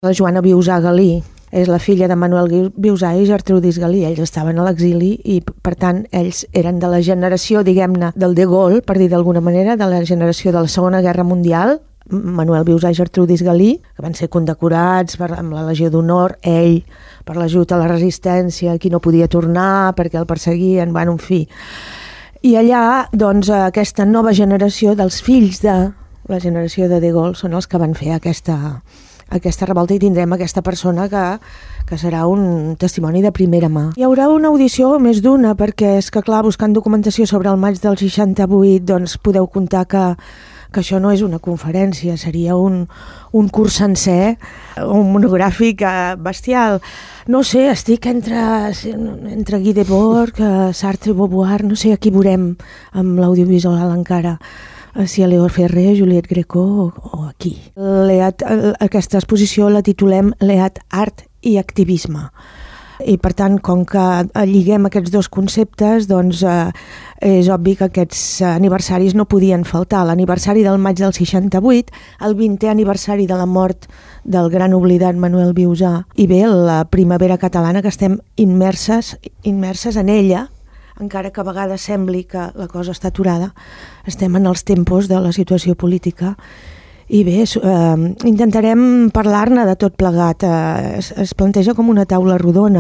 La Joana Viusà Galí és la filla de Manuel Viusà i Gertrudis Galí. Ells estaven a l'exili i, per tant, ells eren de la generació, diguem-ne, del De Gaulle, per dir d'alguna manera, de la generació de la Segona Guerra Mundial. Manuel Viusà i Gertrudis Galí, que van ser condecorats amb la Legió d'Honor, ell per l'ajut a la resistència, qui no podia tornar perquè el perseguien, en fi. I allà, doncs, aquesta nova generació dels fills de la generació de Gaulle són els que van fer aquesta revolta i tindrem aquesta persona que serà un testimoni de primera mà. Hi haurà una audició, més d'una, perquè és que, clar, buscant documentació sobre el maig del 68, doncs podeu comptar que això no és una conferència, seria un curs sencer, un monogràfic bestial. No sé, estic entre Guy Debord, Sartre i Beauvoir, no sé a qui veurem amb l'audiovisual encara, si a Leo Ferrer, Juliette Greco o aquí. Aquesta exposició la titulem Leat Art i Activisme. I per tant, com que lliguem aquests dos conceptes, doncs és obvi que aquests aniversaris no podien faltar. L'aniversari del maig del 68, el 20è aniversari de la mort del gran oblidat Manuel Viusà, i bé, la primavera catalana, que estem immerses en ella, encara que a vegades sembli que la cosa està aturada, estem en els tempos de la situació política. I bé, intentarem parlar-ne de tot plegat. Es planteja com una taula rodona.